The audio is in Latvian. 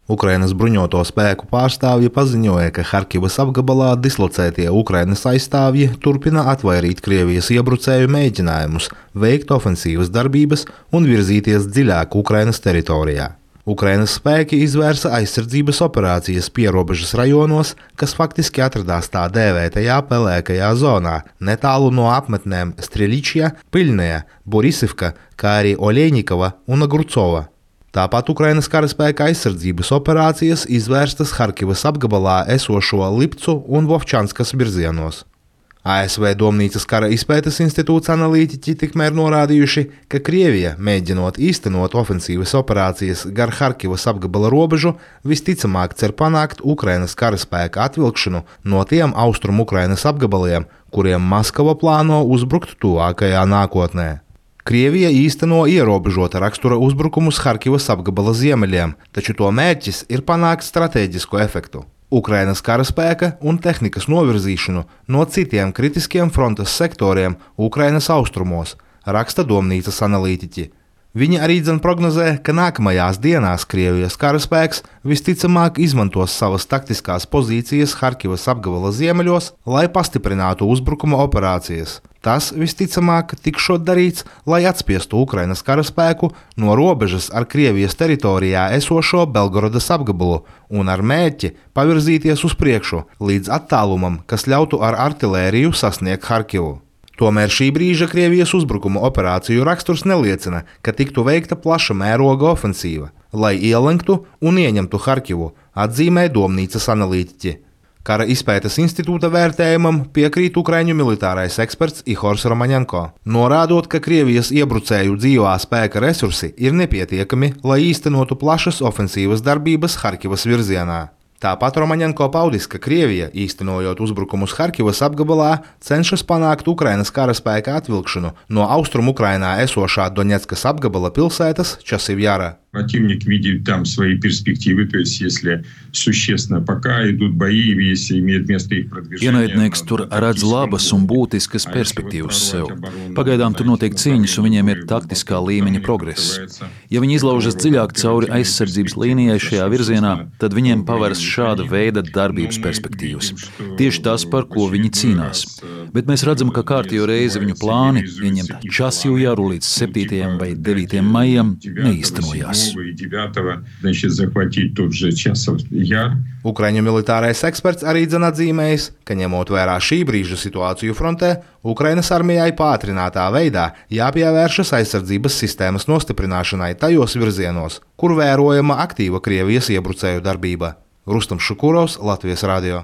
Ukrainas bruņoto spēku pārstāvji paziņoja, ka Harkivas apgabalā dislocētie Ukrainas aizstāvji turpina atvairīt Krievijas iebrucēju mēģinājumus, veikt ofensīvas darbības un virzīties dziļāk Ukrainas teritorijā. Ukrainas spēki izvērsa aizsardzības operācijas pierobežas rajonos, kas faktiski atradās tā dēvētajā pelēkajā zonā, netālu no apmetnēm Streličja, Piļnēja, Borisivka, kā arī Oļeņikava un Agrucova. Tāpat Ukrainas karaspēka aizsardzības operācijas izvērstas Harkivas apgabalā esošo Lipcu un Vovčanskas virzienos. ASV Domnīcas kara izpētes institūts analītiķi tikmēr norādījuši, ka Krievija, mēģinot īstenot ofensīvas operācijas gar Harkivas apgabala robežu, visticamāk cer panākt Ukrainas karaspēka atvilkšanu no tiem austrumu Ukrainas apgabaliem, kuriem Maskava plāno uzbrukt tuvākajā nākotnē. Krievija īsteno ierobežota rakstura uzbrukumus Harkivas apgabala ziemeļiem, taču to mērķis ir panākt stratēģisku efektu – Ukrainas karaspēka un tehnikas novirzīšanu no citiem kritiskiem frontes sektoriem Ukrainas austrumos, raksta Domnīcas analītiķi. Viņi arī prognozē, ka nākamajās dienās Krievijas karaspēks visticamāk izmantos savas taktiskās pozīcijas Harkivas apgabala ziemeļos, lai pastiprinātu uzbrukuma operācijas. Tas visticamāk tikšot darīts, lai atspiestu Ukrainas karaspēku no robežas ar Krievijas teritorijā esošo Belgorodas apgabalu un ar mērķi pavirzīties uz priekšu līdz attālumam, kas ļautu ar artilēriju sasniegt Harkivu. Tomēr šī brīža Krievijas uzbrukuma operāciju raksturs neliecina, ka tiktu veikta plaša mēroga ofensīva, lai ielenktu un ieņemtu Harkivu, atzīmē Domnīcas analītiķi. Kara izpētes institūta vērtējumam piekrīt ukraiņu militārais eksperts Ihors Romaņenko, norādot, ka Krievijas iebrucēju dzīvā spēka resursi ir nepietiekami, lai īstenotu plašas ofensīvas darbības Harkivas virzienā. Tāpat Romaņenko paudis, ka Krievija, īstenojot uzbrukumus Harkivas apgabalā, cenšas panākt Ukrainas karaspēka atvilkšanu no austrumu Ukrainā esošā Doņetskas apgabala pilsētas Časivjara. Противник видит там свои перспективы, то есть если существенно пока идут бои, если имеет место их продвижение. Ienaidnieks tur redz labas un būtiskas perspektīvas sev. Pagaidām tur notiek cīņas un viņiem ir taktiskā līmeņa progress. Ja viņi izlaužas dziļāk cauri aizsardzības līnijai šajā virzienā, tad viņiem pavērs šāda veida darbības perspektīvas. Tieši tas, par ko viņi cīnās. Bet mēs redzam, ka kārtējo reizi viņu plāni ieņemt Časivjaru līdz 7. vai 9. maijam neīstenojās. Ukraiņu militārais eksperts arī atzīmējis, ka ņemot vērā šī brīža situāciju frontē, Ukrainas armijai pātrinātā veidā jāpievēršas aizsardzības sistēmas nostiprināšanai tajos virzienos, kur vērojama aktīva Krievijas iebrucēju darbība. Rustam Šukurovs, Latvijas radio.